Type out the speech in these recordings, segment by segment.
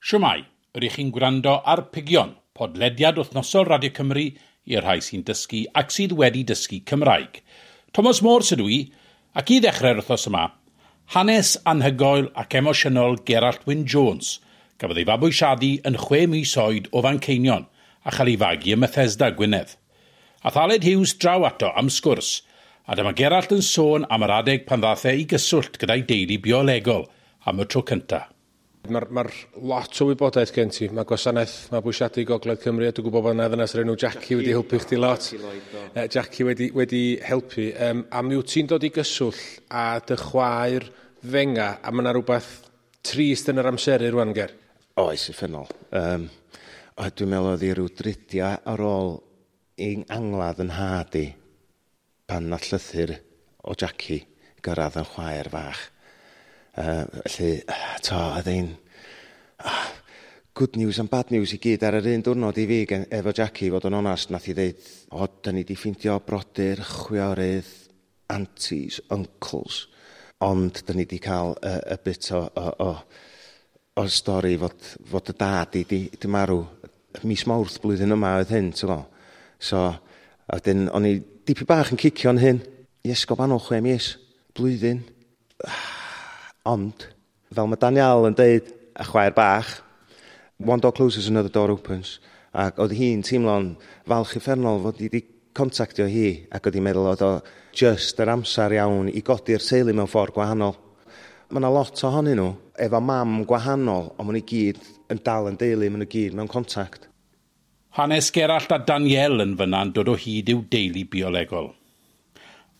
Shwmae, ydych chi'n gwrando ar Pigion, podlediad wythnosol Radio Cymru i'r rhai sy'n dysgu ac sydd wedi dysgu Cymraeg. Thomas Moore sydd i, ac i ddechrau'r wythnos yma, hanes anhygoel ac emosiynol Gerallt Wyn Jones, gafodd ei fabwysiadu yn 6 mis oed o Fanceinion a chael ei fagu ym Methesda, Gwynedd. Ath Aled Hughes draw ato am sgwrs, a dyma Gerallt yn sôn am yr adeg pan ddath e i gyswllt gyda'i deulu biolegol am y tro cyntaf. Mae'r ma lot o wybodaeth gen ti. Mae Gwasanaeth Mabwysiadu Gogledd Cymru, a dwi'n gwybod bod yna ddynas o'r enw Jackie wedi helpu chdi lot. Jackie wedi helpu. A mi wyt ti'n dod i gyswllt a dy chwaer fenga, a mae yna rhywbeth trist yn yr amseru rwan, Ger. Oes, uffernol. O, dwi'n meddwl oedd hi rhyw dridiau ar ôl i'n angladd yn nhad i pan nath llythyr o Jackie gyrraedd yn chwaer fach. Felly, to, oedd ein good news and bad news i gyd ar yr un diwrnod i fi gen, efo Jackie, fod yn onast, nath i ddeud, "O, da ni di ffeindio brodyr, chwiorydd, aunties, uncles, ond da ni di cael y bit o stori fod y dad i di marw mis Mawrth blwyddyn yma oedd hyn," ti'n gwbod. So, a wedyn, o'n i dipyn bach yn cicio'n hyn, i esgob annwl 6 mis, blwyddyn. Ond, fel mae Daniel yn deud, a chwaer bach, "One door closes, another door opens." Ac oedd hi'n teimlo'n falch uffernol fod i wedi contactio hi ac oedd hi'n meddwl oedd o just yr amser iawn i godi'r teulu mewn ffordd gwahanol. Mae yna lot ohonyn nhw efo mam gwahanol, ond maen nhw i gyd yn dal yn deulu, maen nhw gyd mewn contact. Hanes Gerallt a Danielle yn fyna'n dod o hyd i'w deulu biolegol.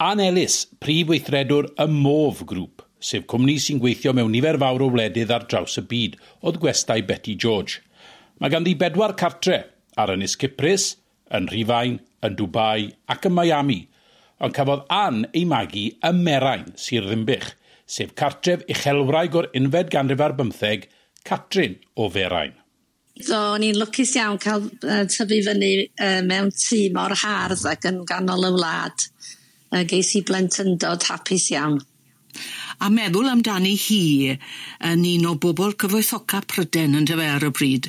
Ann Ellis, prif weithredwr y MOV Group, sef cwmni sy'n gweithio mewn nifer fawr o wledydd ar draws y byd, oedd gwestai Betty George. Mae ganddi bedwar cartre ar Ynys Cyprus, yn Rhufain, yn Dubai ac yn Miami, ond cafodd Ann ei magu ym Merain, Sir Ddinbych, sef cartref uchelwraig o'r 21st, Catrin o Ferain. So, o'n i'n lwcus iawn cael tyfu fyny mewn tŷ mor hardd ac yn ganol y wlad. Ges i blentyndod hapus iawn. A meddwl amdani hi yn un o bobl cyfoethoca Pryden yn dyfe ar y pryd.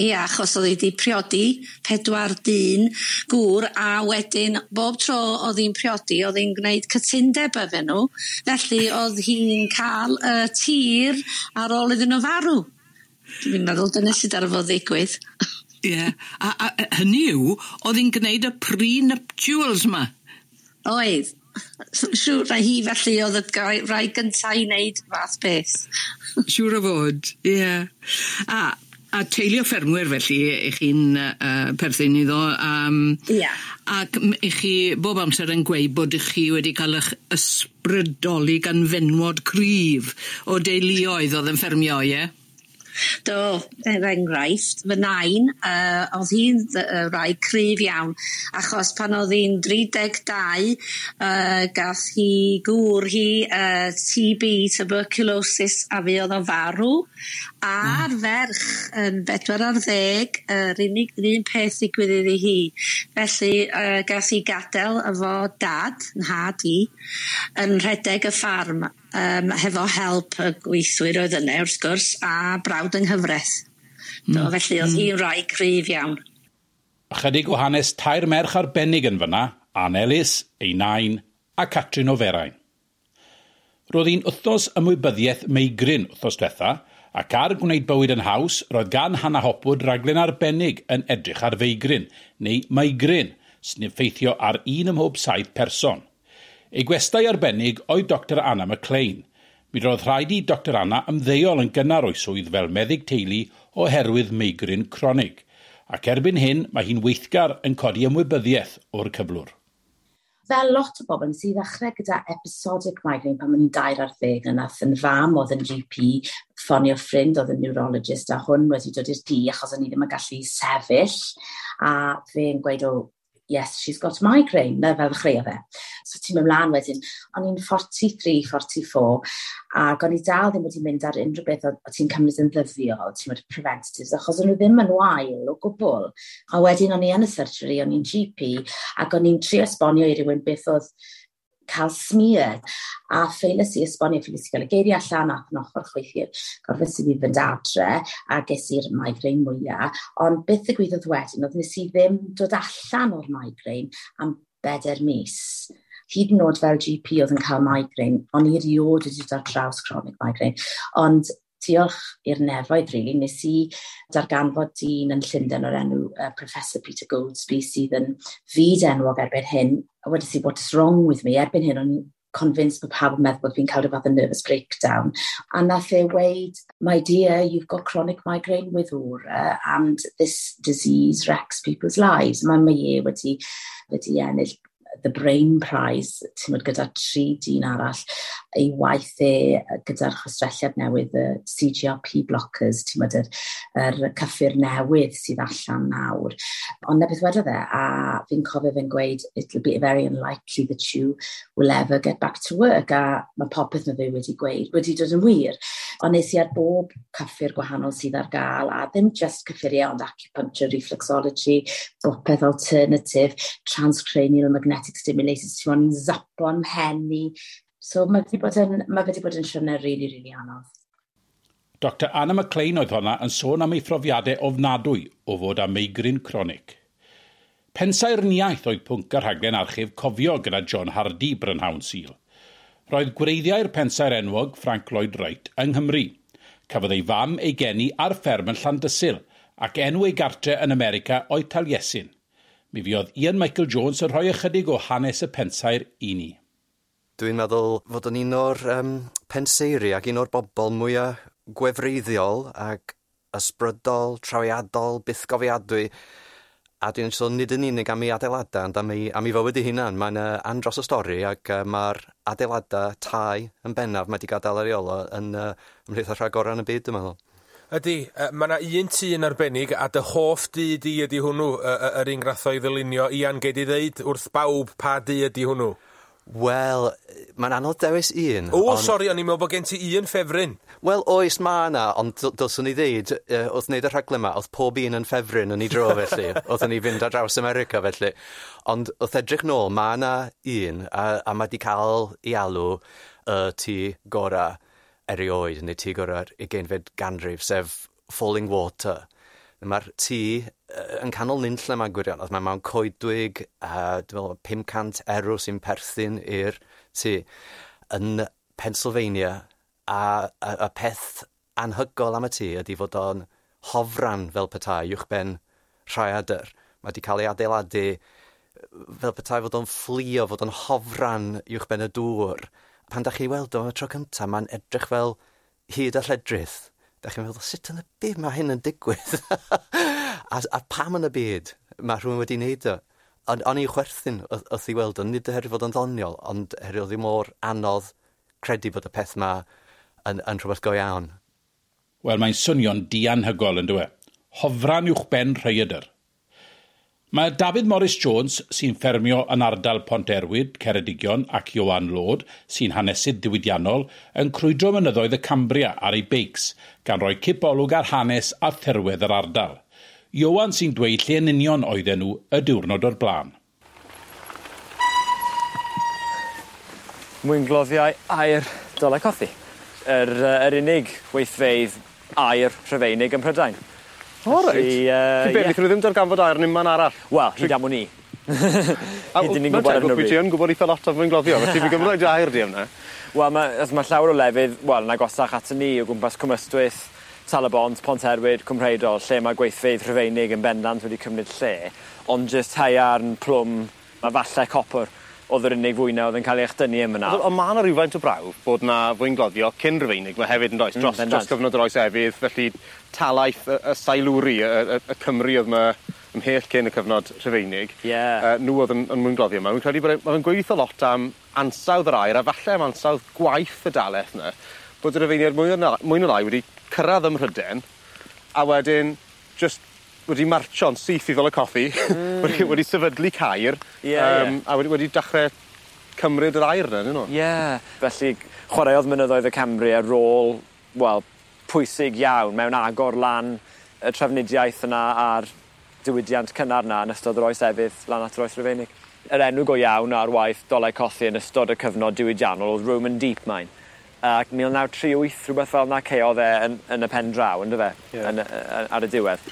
Ia, achos oedd hi 'di priodi pedwar dyn gŵr a wedyn bob tro oedd hi'n priodi oedd hi'n gwneud cytundeb efo nhw. Felly oedd hi'n cael y tir ar ôl iddyn nhw farw. Dwi'n meddwl dyna sydd ar fod ddigwydd. Ie, a hynny yw, oedd hi'n gwneud y pre-nuptials 'ma. Oedd. Siŵr na hi felly oedd y rai gynta i wneud fath beth. Siŵr o fod, ie. A teulu o ffermwyr felly 'ych chi'n perthyn iddo. Ia. Ac 'ych chi bob amser yn gweud bod 'ych chi wedi cael 'ych ysbrydoli gan fenwod cryf o deuluoedd oedd yn ffermio, ie? Do, er enghraifft, fy nain, oedd hi'n wraig cryf iawn, achos pan oedd hi'n 32, gath hi gŵr hi TB, tuberculosis, a fi oedd o farw. A'r ferch yn 40, yr unig yr un peth ddigwydd iddi hi. Felly gath hi gadael efo dad, nhad i, yn rhedeg y ffarm hefo help y gweithwyr oedd yna wrth gwrs, a brawd yng nghyfraith. Do, felly oedd hi'n wraig cryf iawn. Ychydig o hanes tair merch arbennig yn fyna, Ann Ellis, ei nain a Catrin o Ferain. Roedd hi'n wythnos ymwybyddiaeth meigrin wythnos diwetha, ac ar Gwneud Bywyd yn Haws, roedd gan Hannah Hopwood raglen arbennig yn edrych ar feigrin, neu migraine, sy'n effeithio ar un ym mhob saith person. Ei gwestai arbennig oedd Dr Anna McLean. Mi roedd rhaid i Dr Anna ymddeol yn gynnar o'i swydd fel meddyg teulu oherwydd meigrin cronig, ac erbyn hyn mae hi'n weithgar yn codi ymwybyddiaeth o'r cyflwr. Fel lot o bobl, nes i ddechrau gyda episodic migraine pan o'n i'n 13 a nath yn fam oedd yn GP ffonio ffrind oedd yn neurologist a hwn wedi dod i'r dŷ achos o'n i ddim yn gallu sefyll a fe'n gweud, "Oh, yes, she's got migraine," na fel ddechreuodd fe. So ti'n mynd mlaen wedyn, o'n i'n 43, 44, ac o'n i dal ddim wedi mynd ar unrhyw beth o ti'n cymryd yn ddyddiol, ti'n mynd preventatives, achos o'n nhw ddim yn wael o gwbl. A wedyn o'n i yn y surgery, o'n i'n GP, ac o'n i'n trio esbonio i rywun beth oedd cael smear. A ffeiles i esbonio, ffeiles i gael y geiriau allan, ath yn ochr chweithiau, gorfes i fi fynd adre, a ges i'r migraine mwyaf. Ond beth ddigwyddodd wedyn, oedd nes i ddim dod allan o'r migraine am 4 mis. Hyd yn oed fel GP oedd yn cael migraine, ond i erioed wedi dod ar draws chronic migraine. Ond diolch i'r nefoedd, really, nes i darganfod dyn yn Llundain o'r enw Professor Peter Goldsby sydd yn fyd enwog erbyn hyn. A wedes i, what is wrong with me? Erbyn hyn, o'n convinced bod pawb yn meddwl bod fi'n cael rhyw fath o nervous breakdown. A nath e weud, my dear, you've got chronic migraine with aura and this disease wrecks people's lives. Mae e wedi ennill the Brain Prize, ti'n gwbod, gyda 3 dyn arall, ei waith e gyda'r chwistrelliad newydd, y CGRP blockers, ti'n gwbod, yr cyffur newydd sydd allan nawr. Ond na beth wedodd e, a fi'n cofio fe'n gweud, it'll be very unlikely that you will ever get back to work, a mae popeth mae fe wedi gweud wedi dod yn wir. Ond nes i ar bob cyffur gwahanol sydd ar gael, a ddim just cyffuriau, ond acupuncture, reflexology, bopeth alternative, transcranial magnetic stimulators, ti'n mwyn zapo'n mhen i. So mae wedi bod yn siwrne really, really anodd. Dr Anna McLean oedd honna yn sôn am ei phrofiadau ofnadwy o fod â meigryn cronig. Pensaernïaeth oedd pwnc y rhaglen archif Cofio gyda John Hardy brynhawn Sul. Roedd gwreiddiau'r pensaer enwog Frank Lloyd Wright yng Nghymru. Cafodd ei fam ei geni ar fferm yn Llandysul ac enw ei gartre yn America oedd Taliesin. Mi fuodd Ian Michael Jones yn rhoi ychydig o hanes y pensaer i ni. Dwi'n meddwl fod yn un o'r penseiri ac un o'r bobl mwyaf gwefreiddiol ac ysbrydol, trawiadol, bythgofiadwy. A dwi'n sôn nid yn unig am ei adeiladau, ond am ei fywyd ei hunan. Mae'n andros o stori ac mae'r adeiladau tai yn bennaf mae wedi gadael ar ei ôl o yn ymhlith y rhagorau yn y byd, dwi'n meddwl. Ydy, mae yna un tŷ yn arbennig, a dy hoff dŷ di ydy hwnnw, yr un gath o'i ddylunio. Ian, gei di ddeud wrth bawb pa dŷ ydy hwnnw? Wel, mae'n anodd dewis un. O, ond... sori, o'n i'n meddwl bod gen ti un ffefryn. Wel, oes, mae yna, ond dylswn i ddeud, wrth wneud y rhaglen yma, oedd pob un yn ffefryn yn ei dro, felly. Oedden ni fynd ar draws America, felly. Ond wrth edrych nôl, mae yna un, a mae wedi cael ei alw y tŷ gorau erioed, neu tŷ gorau'r 20fed ganrif, sef Falling Water. Mae'r tŷ yn canol nunlle yma gwirionedd. Mae mewn coedwig, dwi'n meddwl 500 erw sy'n perthyn i'r tŷ yn Pennsylvania. A peth anhygol am y tŷ ydy fod o'n hofran fel petai uwchben rhaeadr. Mae wedi cael ei adeiladu fel petai fod o'n fflio, fod o'n hofran uwchben y dŵr. Pan da chi weld o am y tro cyntaf, mae'n edrych fel hyd a lledrith. Da chi'n meddwl, sut yn y byd mae hyn yn digwydd? a pam yn y byd mae rhywun wedi wneud o? O'n i'n chwerthin wrth i weld o, nid oherwydd fod o'n ddoniol, ond oherwydd oedd hi mor anodd credu bod y peth yma yn rhywbeth go iawn. Wel, mae'n swnio'n dianhygol yn dyw e. Hofran uwchben rhaeadr. Mae David Morris Jones, sy'n ffermio yn ardal Ponterwyd, Ceredigion ac Ioan Lord, sy'n hanesydd diwydiannol, yn crwydro mynyddoedd y Cambria ar ei beics, gan roi cipolwg ar hanes a thirwedd yr ardal. Ioan sy'n dweud lle yn union oedden nhw y diwrnod o'r blaen. Mwyngloddiau aur Dolaucothi. Yr unig weithfeydd aur Rhufeinig ym Mhrydain. O, reit. Be, wnaethon nhw ddim darganfod aur yn unman arall? Wel, hyd am wn i. Hyd ni'n gwybod ar hyn o bryd. Ti yn gwybod eitha lot am fwyngloddio, felly fi'n gymryd aur di am 'na. Wel, mae llawer o lefydd, wel, yn agosach aton ni, o gwmpas Cwm Ystwyth, Tal-y-bont, Ponterwyd, Cwm Rheidol, lle mae gweithfeydd Rhufeinig yn bendant wedi cymryd lle, ond jyst haearn, plwm, a falle copr oedd yr unig fwyna oedd yn cael ei echdynnu yn fyna. Ond mae yna rhywfaint o brawf bod na fwyngloddio cyn Rhufeinig, mae hefyd yn does, dros cyfnod yr oes efydd, felly talaith y Sailwri, y Cymru oedd yma ymhell cyn y cyfnod Rhufeinig. Yeah. Nhw oedd yn mwyngloddio yma. Fi'n credu bod mae'n gweithio lot am ansawdd yr aer, a falle am ansawdd gwaith y dalaith yna, bod y Rhufeiniaid mwy na lai wedi cyrraedd ym Mhrydain, a wedyn just wedi marcho'n syth i Ddolaucothi, wedi sefydlu caer, a wedi dechrau cymryd yr aer yna, dyn nhw? Ie, felly chwaraeodd mynyddoedd y Cambria rôl, wel, pwysig iawn mewn agor lan y trafnidiaeth yna a'r diwydiant cynnar yna yn ystod yr oes efydd lan at yr oes Rufeinig. Yr enw go iawn ar waith Dolau Cothi yn ystod y cyfnod diwydiannol oedd Roman Deep Mine. Ac 1938, rhywbeth fel 'na caeodd e yn y pen draw, yndyfe? Yeah. Ar y diwedd.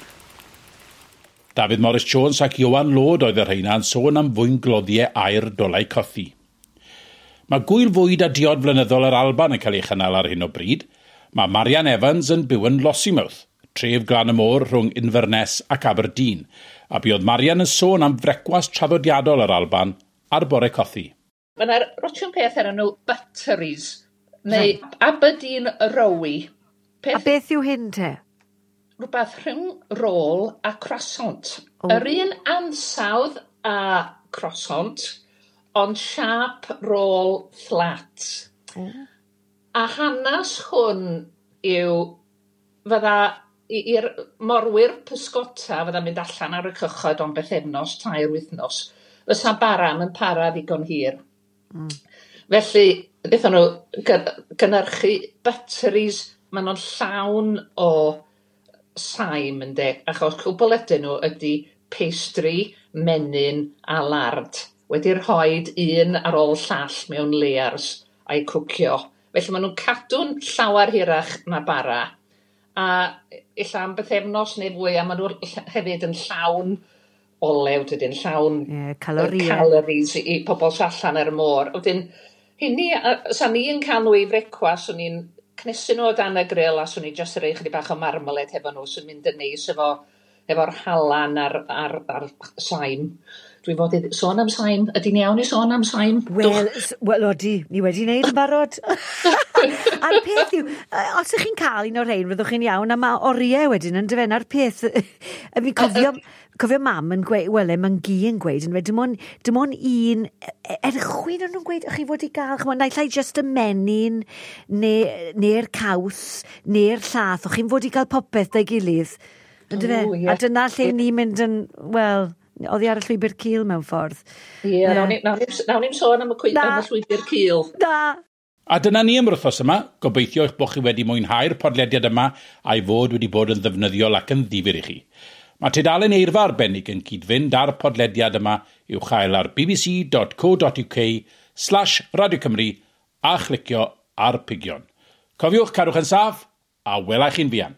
Dafydd Morris Jones ac Iwan Lord oedd y rheina yn sôn am fwyngloddiau aur Dolau Cothi. Mae gwyl fwyd a diod flynyddol yr Alban yn cael ei chynnal ar hyn o bryd. Mae Marian Evans yn byw yn Lossiemouth, tref glan y môr rhwng Inverness ac Aberdeen, a buodd Marian yn sôn am frecwast traddodiadol yr Alban ar bore cothi. Mae yna rotio'n peth ar nhw butteries, neu Aberdeen Rowie. Peth... A beth yw hyn te? Rhywbeth rhwng rôl a croissant. Oh. Yr un ansawdd a croissant, ond siâp rôl fflat. A hanes hwn yw fydda i'r morwyr pysgota fydda'n mynd allan ar y cychod am bythefnos, 3 wythnos, fysa baram yn para ddigon hir. Felly, wnaethon nhw gynhyrchu butteries, maen nhw'n llawn o saim ynde, achos cwbl ydyn nhw ydy pastry, menyn a lard. Wedi rhoid un ar ôl llall mewn layers a'i cwcio. Felly maen nhw'n cadw'n llawer hirach na bara. A ella am bythefnos neu fwy, a maen nhw hefyd yn llawn olew, dydyn, llawn calories, calories i pobl sy allan ar y môr. Wedyn, hynny, sa ni yn cael nhw i frecwast, swn i'n cnesu nhw o dan y grill a swn i jyst rhoi chydig bach o marmalade hefo nhw sy'n mynd yn neis efo'r halan a'r saim. Dwi'n fod i sôn am saim. Ydy'n iawn i sôn am saim? Wel, odi, ni wedi wneud yn barod. A'r peth yw, os ych chi'n cael un o'r rhain, fyddwch chi'n iawn, a mae oriau wedyn yn dyfe, a'r peth, fi'n cofio mam yn gweud, wel, mae'n gi yn gweud, yn dim ond un, erchwyn o'n nhw'n gweud, ych chi fod i gael, ch'mod, naill ai jyst y menyn, neu'r caws, neu'r llath, o'ch chi'n fod i gael popeth da'i gilydd, yn dyfe? A dyna lle ni'n mynd yn, wel, oddi ar y llwybr cul mewn ffordd. Ie, nawn ni'm sôn am y llwybr cul. Na. A dyna ni am yr wythnos yma. Gobeithio eich bod chi wedi mwynhau'r podlediad yma a'i fod wedi bod yn ddefnyddiol ac yn ddifyr i chi. Mae tudalen eirfa arbennig yn cyd-fynd â'r podlediad yma i'w chael ar bbc.co.uk/Radio Cymru a chlicio ar pigion. Cofiwch cadwch yn saff a wela chi'n fuan.